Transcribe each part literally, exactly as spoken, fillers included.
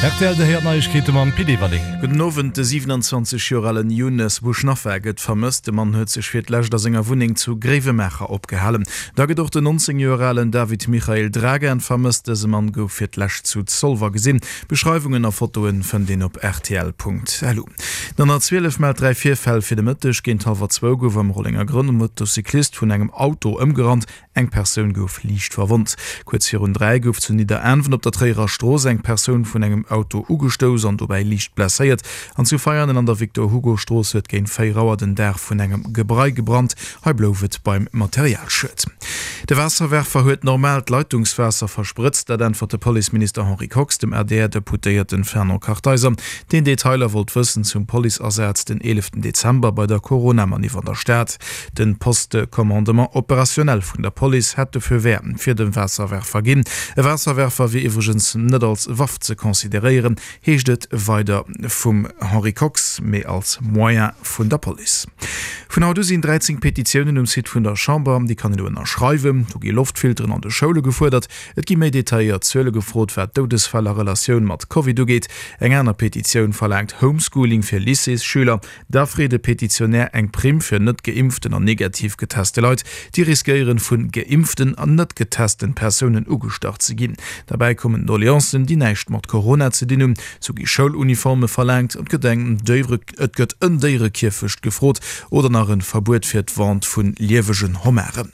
Rtl, Dir héiert Neiegkeete mam Pit Everling. Gudden Owend, De siwenanzwanzeg Joer alen Younes Bouchnafa gëtt vermësst. De Mann huet sech fir d'lescht a senger Wunneng zu Gréiwemaacher opgehalen. Da gëtt och den nonzéng Joer alen David Michael Dragan vermësst. Dëse Mann gouf fir d'lescht zu Zolwer gesinn. Beschreiwungen a Fotoen fënnt een op rtl.lu. Den honnertzwielef mellt dräi Virfäll fir de Mëtteg. Géint hallwer zwou gouf am Rollengergronn e Motocyclist vun engem Auto ëmgerannt. Eng Persoun gouf liicht verwonnt. Kuerz virun dräi gouf zu Nidderaanwen op der Tréierer Strooss eng Persoun vun engem Auto ugestouss an dobäi liicht blesséiert. An zu Veianen an der Victor-Hugo-Strooss huet géint véier Auer den Daach vun engem Gebrei gebrannt. Hei blouf et beim Materialschued. De Waasserwerfer huet normaalt Leitungswaasser versprëtzt. Dat äntwert de Policeminister Henri Kox dem A D R-Deputéierten Fernand Kartheiser, deen Detailer wollt wëssen zum Policeasaz den eeleften Dezember bei der Corona-Maniff an der Stad. Den Poste de commandement opérationnel vun der Police hätt de Feu vert fir de Waasserwerfer ginn. E Waasserwerfer wier iwwregens net als Waff ze consideréieren, heescht et weider vum Henri Kox, mee als Moyen vun der Police. Vun haut u sinn dräizéng Petitiounen um Site vun der Chamber, déi kann een do ënnerschreiwen. Do gi Loftfilteren an de Schoule gefuerdert, et gi méi detailléiert Zuele gefrot, wat d'Doudesfäll a Relatioun mat Covid ugeet. Eng aner Petitioun verlaangt Homeschooling fir Lycéesschüler. Da freet e Petitionär eng Primm fir net geimpften an negativ geteste Leit, déi riskéieren, vu geimpften an net getesten Persounen ugestach ze ginn. Derbäi kommen Doleancen, déi näischt mat Corona ze dinn hunn. Sou gi Schouluniforme verlaangt, et gëtt eng Déiere, et gëtt en Déierekierfecht gefrot oder nach en Verbuet fir d'Vente vu liewegen Homarden.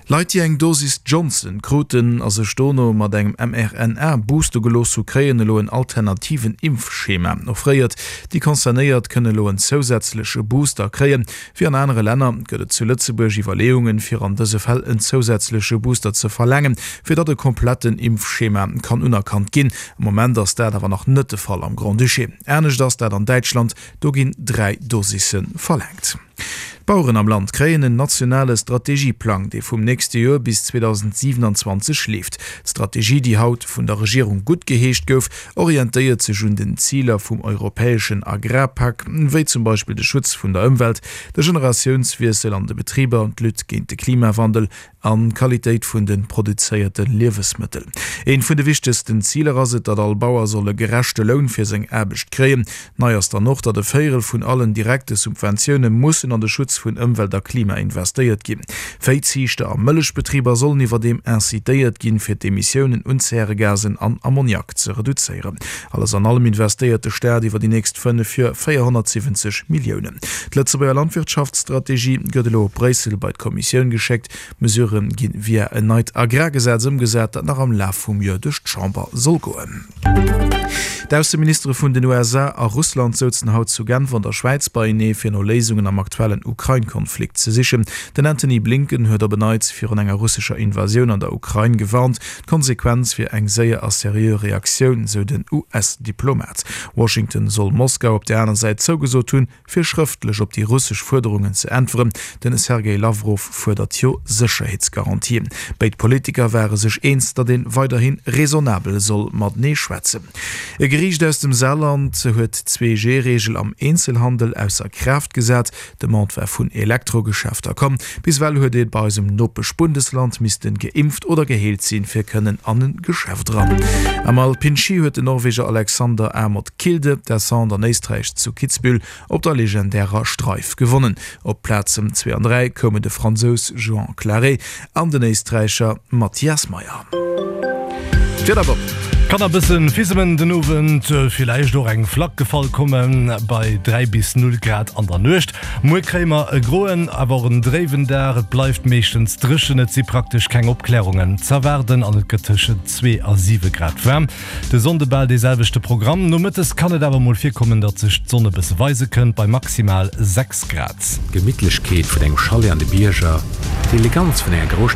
Leit, déi eng Dosis Johnson kruten a sech dono mat engem M R N A booste gelooss hu, kréien elo en alternativen Impfschema offréiert. Déi Concernéiert kënnen elo en zousätzleche Booster kréien. Wéi an anere Länner gëtt et zu Lëtzebuerg Iwwerleeungen, fir an dëse Fäll en zousätzleche Booster ze verlaangen, fir datt e kompletten Impfschema kann unerkannt ginn. Am Moment ass dat awer nach net de Fall am Grand-Duché. Anescht ass dat an Däitschland, do ginn dräi Dosisse verlaangt. D'Baueren am Land kréien en nationale Strategieplang, dee vum nächste Joer bis zweedausendsiewenanzwanzeg leeft. D'Strategie, déi haut vun der Regierung guttgeheescht gouf, orientéiert sech un den Ziler vum europäeschen Agrarpak, wéi zum Beispill de Schutz vun der Ëmwelt, de Generatiounswiessel an de Betriber, d'Lutte géint de Klimawandel an d'Qualitéit vun de produzéierte Liewesmëttel. Eent vun de wichtegsten Ziler ass et, datt all Bauer soll e gerechte Loun fir seng Aarbecht kréien. Nei ass dann och, datt e Véierel vun allen direkte Subventioune mussen an de Schutz vun Ëmwelt a Klima investéiert ginn. Véiziichter a Mëllechbetriber sollen iwwerdeem incitéiert ginn, fir d'Emissiounen un Zäregasen an Ammoniak ze reduzéieren. Alles an allem investéiert de Staat iwwer déi nächst fënnef Joer véierhonnertsiwwenzeg Milliounen. D'Lëtzebuerger Landwirtschaftsstrategie gëtt elo op Bréissel bei d'Kommissioun geschéckt. D'Mesurë gi via en neit Agrargesetz ëmgesat, dat nach am Laf vum Joer duerch d'Chamber soll goen. D'Ausseministere vun den U S A a Russland souzen haut zu Genf an der Schwäiz beienee, fir no Léisungen am aktuellen Ukrain-Konflikt ze sichen. Den Antony Blinken huet op en Neits virun enger russescher Invasioun an der Ukrain gewarnt. D'Konsequenz wier eng séier a seriö Reaktioun, sou den U S-Diplomat. Washington soll Moskau op der aner Säit zougesot hunn, fir schrëftlech op déi russesch Fuerderungen ze äntweren. Den Sergej Lawrow fuerdert jo Sécherheetsgarantien. Béid Politiker ware sech eens, datt ee weiderhi raisonnabel soll matenee schwätzen. E Geriicht aus dem Saarland huet d'Zwee-G-Reegel am Eenzelhandel ausser Kraaft gesat. D'Demande war vun Elektrogeschäfter komm. Bis ewell huet ee bei eisem Nopesch-Bundesland missten geimpft oder geheelt sinn, fir kënnen an e Geschäft eran. Am Alpin-Ski huet den Norweger Aleksander Aamodt Kilde d'Descente an Éisträich zu Kitzbühel op der legendärer Streif gewonnen. Op d'Plazen zwee an dräi koumen de Fransous Joan Claret an den Éisträicher Matthias Mayer. D'Wieder Bob. Kann e bëssen fissemen den Owend, villäicht och eng Flack gefall kommen bei dräi bis null Grad an der Nuecht. Muer kréie mer e groen, awer och en dréiwen Dag. Et bleift meeschtens dréchen, et si praktesch keng Opklärungen z'erwaarden an et gëtt tëschent zwee a siwe Grad waarm. De Sonnde bal dee selwechte Programm. Nomëttes kann et awer mol virkommen, datt sech d'Sonn e bësse weise kënnt bei maximal sechs Grad. D'Gemittlechkeet vun engem Chalet an de Bierger, d'Eleganz vun enger Grousstad.